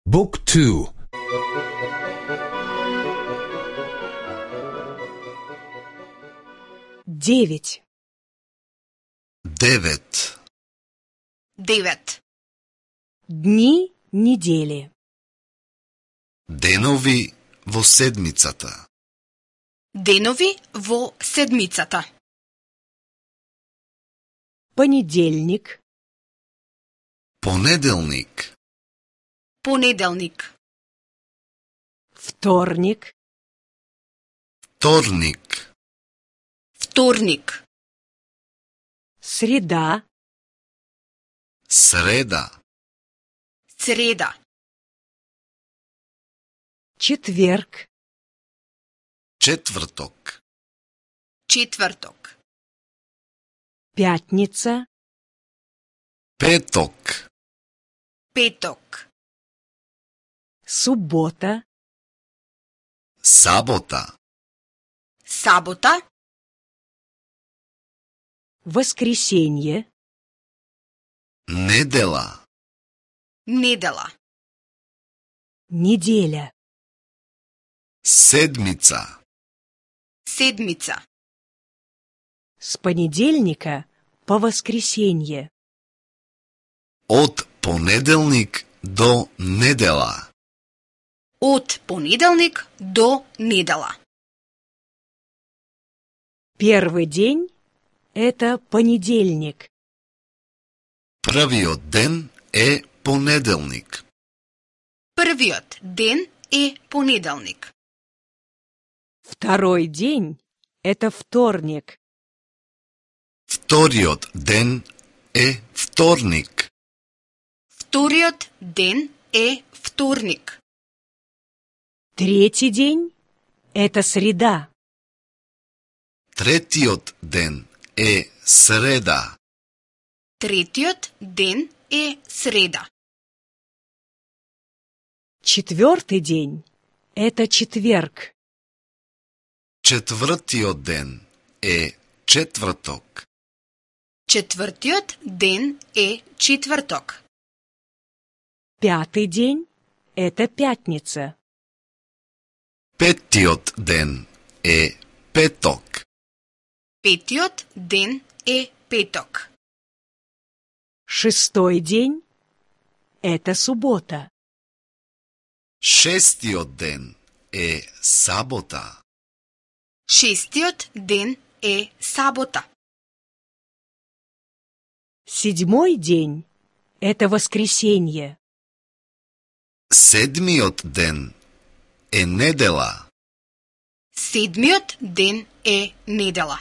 Book 2. Девять. 9. Дни недели. Денови во седмицата. Денови во седмицата. Понеделник, Понеделник, Понеделник, вторник, вторник, вторник, среда, среда, среда, четверг, четврток, четврток, пятница, петок, петок, суббота, сабота, сабота, воскресенье, недела, недела, неделя, седмица, седмица, с понедельника по воскресенье, од понеделник до недела. од понеделник до недела. Первый день – это понедельник, Првиот ден е понеделник. Првиот ден е понеделник. второй день – это вторник, Вториот ден е вторник. Вториот ден е вторник. третий день – это среда, Третиот ден е среда. Третиот ден е среда. четвертый день – это четверг, Четвртиот ден е четврток. Четвртиот ден е четврток. пятый день – это пятница, Петиот ден е петок. Петиот ден е петок. шестой день – это суббота, Шестиот ден е сабота. Шестиот ден е сабота. седьмой день – это воскресенье, Седмиот ден е недела. Седмиот ден е недела.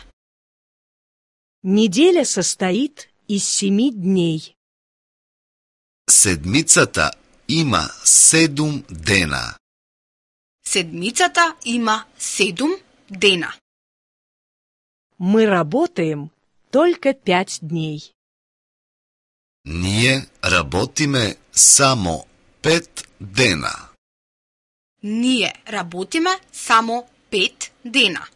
неделя состоит из 7 дней. Седмицата има 7 дена. Седмицата има 7 дена. Мы работаем только 5 дней. Ние работиме само 5 дена. Ние работиме само 5 дена.